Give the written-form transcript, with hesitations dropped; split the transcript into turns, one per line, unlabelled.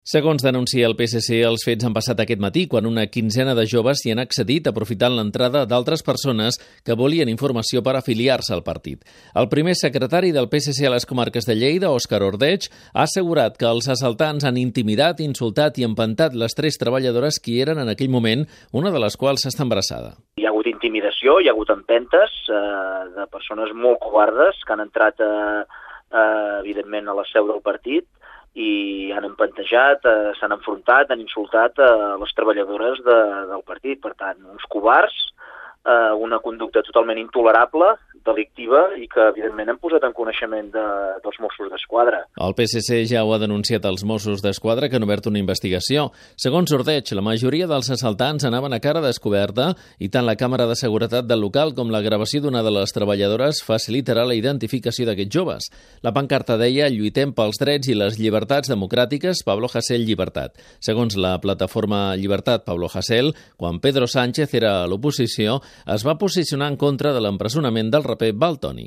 Segons denuncia el PSC, els fets han passat aquest matí quan una quinzena de joves hi han accedit aprofitant l'entrada d'altres persones que volien informació per afiliar-se al partit. El primer secretari del PSC a les comarques de Lleida, Òscar Ordeig, ha assegurat que els assaltants han intimidat, insultat i empantat les 3 treballadores que eren en aquell moment, una de les quals està embarassada.
Hi ha hagut intimidació, hi ha hagut empentes de persones molt covardes que han entrat evidentment a la seu del partit i han empantejat, s'han enfrontat, han insultat les treballadores del partit. Per tant, uns covards, una conducta totalment intolerable, delictiva i que, evidentment, han posat en coneixement dels Mossos d'Esquadra.
El PSC ja ho ha denunciat als Mossos d'Esquadra, que han obert una investigació. Segons Ordeig, la majoria dels assaltants anaven a cara descoberta i tant la càmera de seguretat del local com la gravació d'una de les treballadores facilitarà la identificació d'aquests joves. La pancarta deia «Lluitem pels drets i les llibertats democràtiques, Pablo Hasél llibertat». Segons la plataforma Llibertat Pablo Hasél, quan Pedro Sánchez era a l'oposició, es va posicionar en contra de l'empresonament del raper Valtònyc.